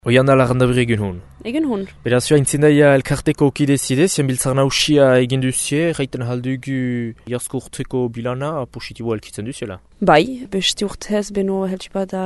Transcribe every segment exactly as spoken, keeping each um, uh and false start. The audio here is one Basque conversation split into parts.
Oian da larandabri egun hon. Egun hon. Beraz, joa intzindaia elkarteko okide zide, zian biltzar nausia egin duzie, gaiten haldugu jasko urteko bilana positiboa elkitzen duziela. Bai, beste urtez beno heltupa da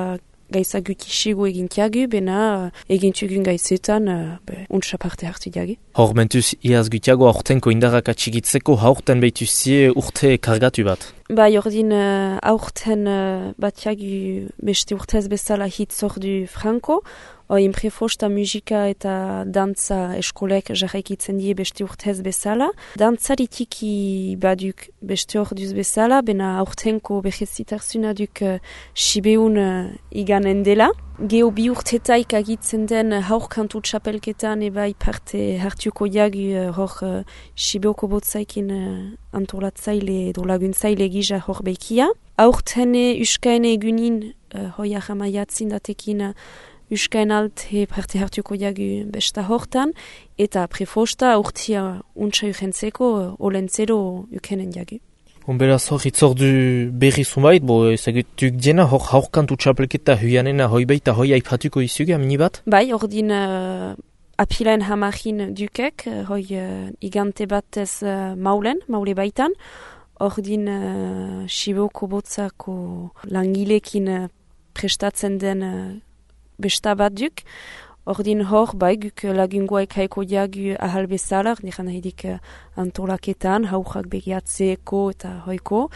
gaisa gutxixigu egintiagu, bena egintugun gaizetan uh, untsa parte hartu diagi. Hor mentuz, iaz gutiago aurtenko indarrak atxigitzeko haurten behituzie urte kargatu bat. Bai, ordin uh, aurten uh, batiagu beste urtez bezala hitzordu franko, Oin prefosta musika eta dantza eskolek jarraikitzen die beste urtez bezala. Dantzaritiki baduk beste orduz bezala, bena aurtenko behezitarzuna duk uh, sibeun uh, iganen dela. Geo bi urtetaik agitzen den haurkantu txapelketan ebai parte hartuko jagu uh, hor uh, sibeoko botzaikin uh, antolatzaile edo laguntzaile gisa hor bekia. Aurtene uskaene egunin uh, hoia jamaiatzin datekin uh, Euskain alte parte hartuko jagu besta hortan, eta prefosta urtia untsa urentzeko olentzero ukenen jagu. Honberaz hor hitzordu berri zumait, bo ezagutuk diena hor haurkantu txapelketa huianena hoi baita hoi aipatuko izuge amini bat? Bai, ordin uh, apilaen hamarin dukek, hoi uh, igante batez uh, maulen, maule baitan, ordin uh, Siboko botzako langilekin uh, prestatzen den uh, besta bat duk, ordin hor, bai, guk lagungoek haiko diagu ahal bezala, niran nahidik antolaketan, haujak begiatzeko eta hoiko,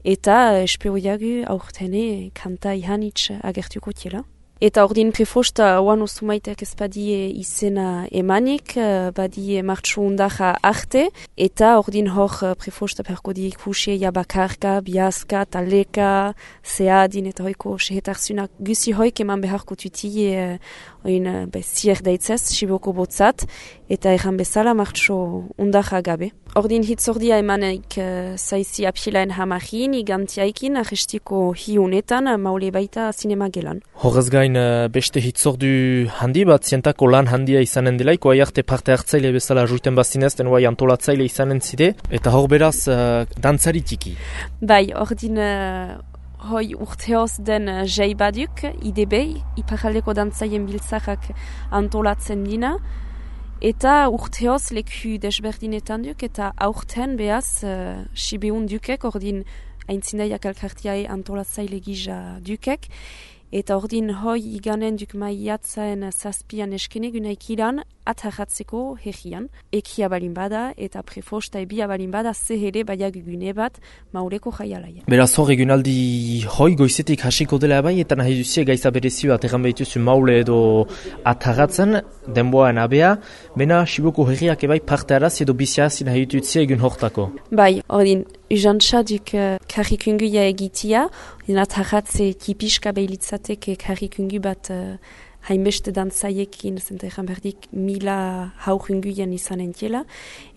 eta espero diagu aurtene kanta ihanitz agertuko tiela. Eta ordin prefosta oan osumaitek ez badie izena emanik, badie martxo undaja arte, eta ordin hor prefosta perko di ikusie jabakarka, biazka, taleka, zeadin eta hoiko sehetarzunak gusi hoik eman beharko tutie oin zier daitzez, Siboko botzat, eta erran bezala martxo undaja gabe. Ordin hitzordia emanek uh, zaizi apilaen hamarin, igantiaikin, arrestiko hiunetan, maule baita sinema gelan. Horrez gain beste hitzordu handi bat, zientako lan handia izanen delaiko, aiarte parte hartzaile bezala juiten bazinez, den guai antolatzaile izanen zide, eta hor beraz uh, dantzaritiki. Bai, ordin uh, hoi urteoz den uh, jai baduk, I D B, iparaldeko dantzaien biltzakak antolatzen dina, eta urteoz leku desberdinetan duk, eta aurten behaz uh, sibeun dukek, ordin aintzindaiak elkartiae antolatzaile gisa dukek, eta ordin hoi iganen duk maiatzaen zazpian eskene gunaikiran atarratzeko herrian. Ekia balin bada eta prefosta ebia balin bada zehere baiak gune bat maureko jaialaia. Beraz hor egunaldi hoi goizetik hasiko dela bai, eta nahi duzie gaiza berezio bat egan behituzu maule edo atarratzen denboan abea, bena Siboko herriak ebai parte araz edo biziazi nahi dututzia egun hortako. Bai, ordin, Ujantza duk uh, karrikunguia egitia, ordin atarratze tipiska behilitzateke karrikungu bat uh, hainbeste dantzaiekin, zenta egan berdik mila haurunguian izan entiela,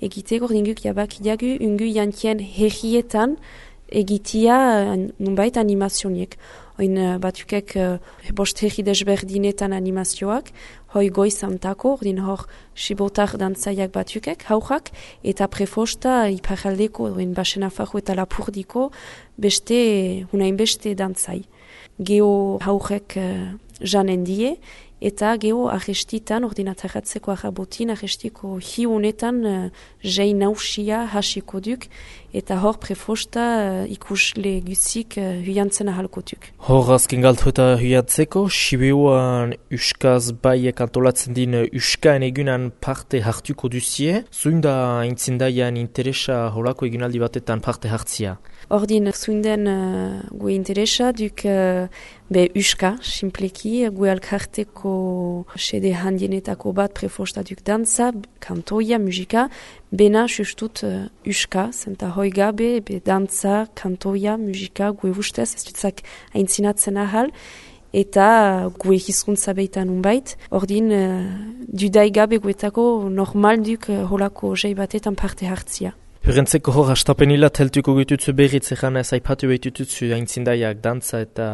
egiteko ordin guk jabak diagu ungu jantien herrietan egitia uh, nunbait animazioniek. Oin uh, batukek uh, bost herri desberdinetan animazioak, hoi goizantako, ordin hor sibotar dantzaiak batukek, haujak, eta prefosta iparaldeko, ordin basenafajo eta lapurdiko, beste, hunain beste dantzai. Geo haujek uh, janen die, eta geho arrestitan, ordinatarratzeko arrabotin, arrestiko hiunetan uh, jai nausia hasiko duk, eta hor prefosta uh, ikusle guzik uh, huiantzen ahalko duk. Hor azken galtu eta huiatzeko, Sibeuan uskaz baiek antolatzen din uskaen egunan parte hartuko duzie, zuin da intzindaian interesa holako egunaldi batetan parte hartzia? Ordin zuinden uh, gue interesa duk uh, be uska, simpleki, gue alkarteko sede handienetako bat prefosta duk dantza, kantoia, musika, bena justut uh, uska, zenta hoi gabe, be dantza, kantoia, musika, gue ustez, ez dutzak aintzinatzen ahal, eta gue hizkuntza beitan unbait, ordin uh, dudai gabe guetako normal duk uh, holako jai batetan parte hartzia. Hurrentzeko hor hastapenila teltuko gututzu berriz egan ez aipatu behitututzu aintzindaiak dantza eta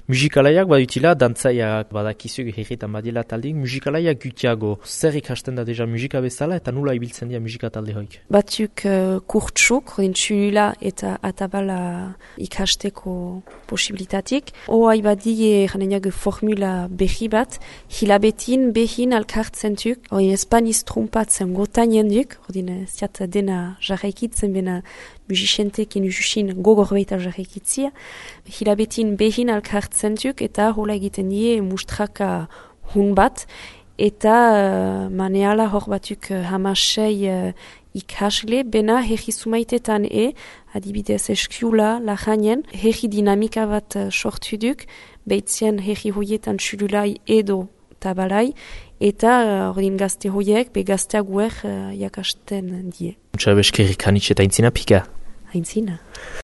musikalaiak badutila, dantzaiak badakizu herritan badila taldik, musikalaiak gutiago. Zer ikasten da deja musika bezala eta nula ibiltzen dira musika talde hoik? Batzuk uh, kurtsuk, rodin txulula eta atabala ikasteko posibilitatik. Oai badie janenak formula behi bat, hilabetin behin alkartzen duk, rodin espaniz trumpatzen gotainen duk, rodin ziat dena jarraikitzen bena musicientekin ususin gogor baita jarraikitzia. Hilabetin behin alkartzen duk eta hola egiten die mustraka hun bat, eta uh, maneala hor batuk uh, hamasei uh, ikasle, bena herri sumaitetan e, adibidez eskiula, lajanien, herri dinamika bat uh, sortu duk, behitzien herri hoietan txululai edo tabalai, eta ordin uh, gazte hoiek, be gazteak guer uh, jakasten die. Muntza beskerrik hanitz eta aintzina pika? Aintzina.